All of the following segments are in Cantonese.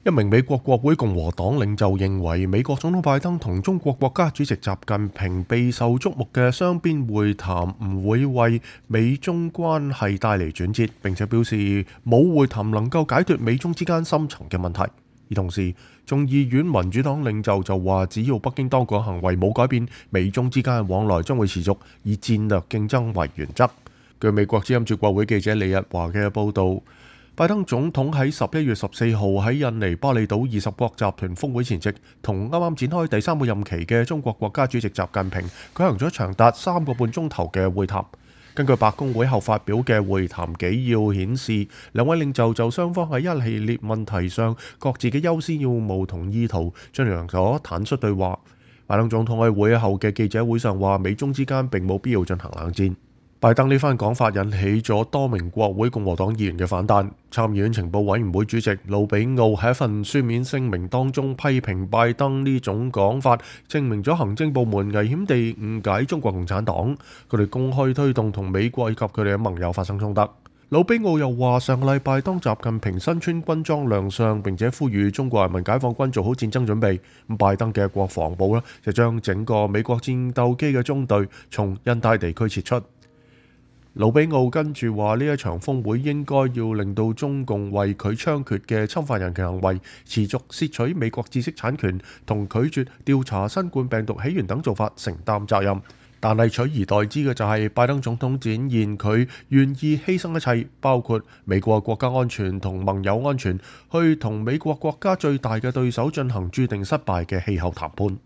一名美國國會共和黨領袖認為，美國總統拜登同中國國家主席習近平備受矚目嘅雙邊會談唔會為美中關係帶嚟轉折，並且表示冇會談能夠解決美中之間深層嘅問題。而同時，眾議院民主黨領袖就話，只要北京當局行為冇改變，美中之間嘅往來將會持續，以戰略競爭為原則。據美國之音駐國會記者李日華嘅報導，拜登總統喺11月14號喺印尼巴厘島20國集團峰會前夕，同啱啱展開第3個任期嘅中國國家主席習近平舉行咗長達3個半鐘頭嘅會談。根據白宮會後發表嘅會談紀要顯示，兩位領袖就雙方喺一系列問題上各自嘅優先要務同意圖進行咗坦率對話。拜登總統喺會後嘅記者會上話，美中之間並冇必要進行冷戰。拜登呢番講法引起咗多名國會共和黨議員嘅反彈。參議院情報委員會主席魯比奧喺一份書面聲明當中批評拜登呢種講法，證明咗行政部門危險地誤解中國共產黨，佢哋公開推動同美國以及佢哋嘅盟友發生衝突。魯比奧又話，上個禮拜當習近平身穿軍裝亮相，並且呼籲中國人民解放軍做好戰爭準備，拜登嘅國防部就將整個美國戰鬥機嘅中隊從印太地區撤出。魯比奧跟住話，呢一場峰會應該要令到中共為佢猖獗嘅侵犯人權行為、持續竊取美國知識產權同拒絕調查新冠病毒起源等做法承擔責任。但係取而代之嘅就係拜登總統展現佢願意犧牲一切，包括美國國家安全同盟友安全，去同美國國家最大嘅對手進行注定失敗嘅氣候談判。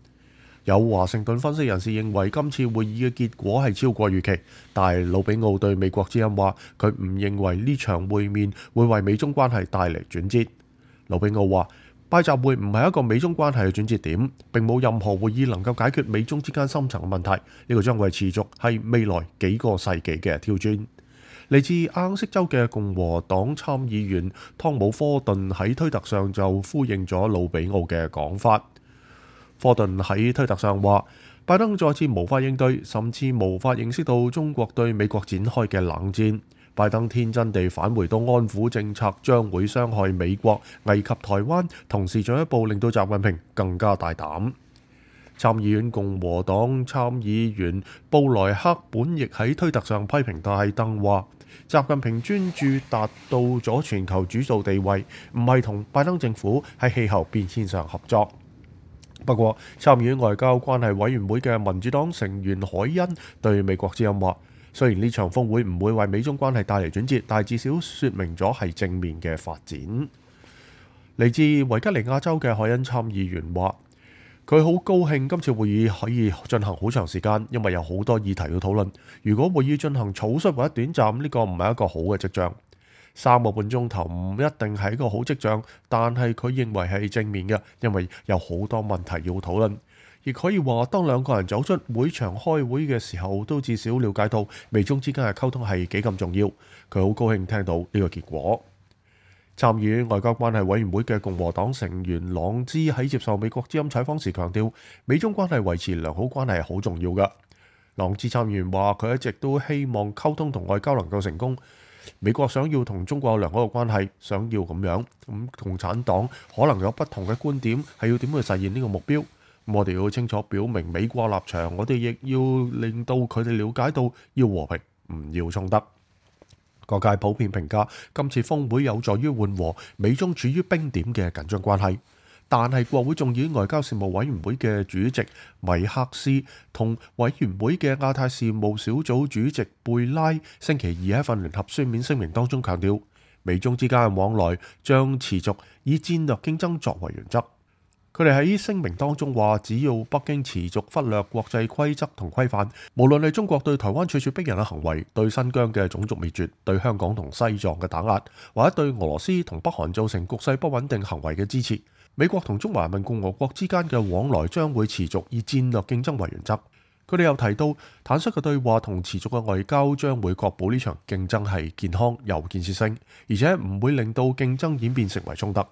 有華盛頓分析人士認為，今次會議嘅結果係超過預期，但係魯比奧對美國之音話，佢唔認為呢場會面會為美中關係帶嚟轉折。魯比奧話，拜習會唔係一個美中關係嘅轉折點，並冇任何會議能夠解決美中之間深層嘅問題，呢個將會持續係未來幾個世紀嘅挑戰。嚟自阿肯色州嘅共和黨參議員湯姆科頓喺推特上就呼應咗魯比奧嘅講法。科頓喺推特上話，拜登再次無法應對，甚至無法認識到中國對美國展開嘅冷戰。拜登天真地返回到安撫政策將會傷害美國、危及台灣，同時進一步令到習近平更加大膽。參議院共和黨參議員布萊克本亦喺推特上批評拜登話，習近平專注達到咗全球主導地位，唔係同拜登政府喺氣候變遷上合作。不過，參議院外交關係委員會嘅民主黨成員海恩對美國之音話，雖然呢場峰會唔會為美中關係帶嚟轉折，但至少説明咗係正面嘅發展。嚟自維吉尼亞州嘅海恩參議員話，佢好高興今次會議可以進行好長時間，因為有好多議題要討論。如果會議進行草率或者短暫，呢個唔係一個好嘅跡象。3個半鐘頭唔一定係一個好跡象，但係佢認為係正面嘅，因為有好多問題要討論。亦可以話，當兩個人走出會場開會嘅時候，都至少了解到美中之間嘅溝通係幾咁重要。佢好高興聽到呢個結果。參議院外交關係委員會嘅共和黨成員朗茲喺接受美國之音採訪時強調，美中關係維持良好關係係好重要㗎。朗茲參議員話，佢一直都希望溝通同外交能夠成功。美國想要同中國有良好嘅關係，想要咁樣，共產黨可能有不同嘅觀點，係要點去實現呢個目標。我哋要清楚表明美國立場，我哋亦要令到佢哋了解到要和平，唔要衝突。各界普遍評價今次峰會有助於緩和美中處於冰點嘅緊張關係。但係國會眾議院外交事務委員會嘅主席米克斯同委員會嘅亞太事務小組主席貝拉星期二喺份聯合書面聲明當中強調，美中之間嘅往來將持續以戰略競爭作為原則。佢哋喺聲明當中話，只要北京持續忽略國際規則同規範，無論係中國對台灣處處逼人嘅行為、對新疆嘅種族滅絕、對香港同西藏嘅打壓，或者對俄羅斯同北韓造成局勢不穩定行為嘅支持，美國同中華人民共和國之間嘅往來將會持續以戰略競爭為原則。佢哋又提到，坦率嘅對話同持續嘅外交將會確保呢場競爭係健康有建設性，而且唔會令到競爭演變成為衝突。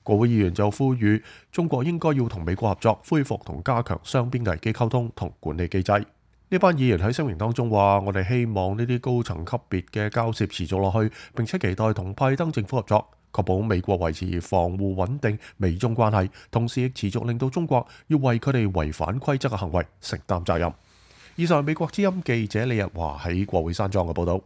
國會議員就呼籲中國應該要同美國合作，恢復同加強雙邊危機溝通同管理機制。呢班議員喺聲明當中話，我哋希望呢啲高層級別嘅交涉持續落去，並且期待同拜登政府合作。確保美國維持防護穩定美中關係，同時亦持續令到中國要為佢哋違反規則嘅行為承擔責任。以上係美國之音記者李日華喺國會山莊嘅報導。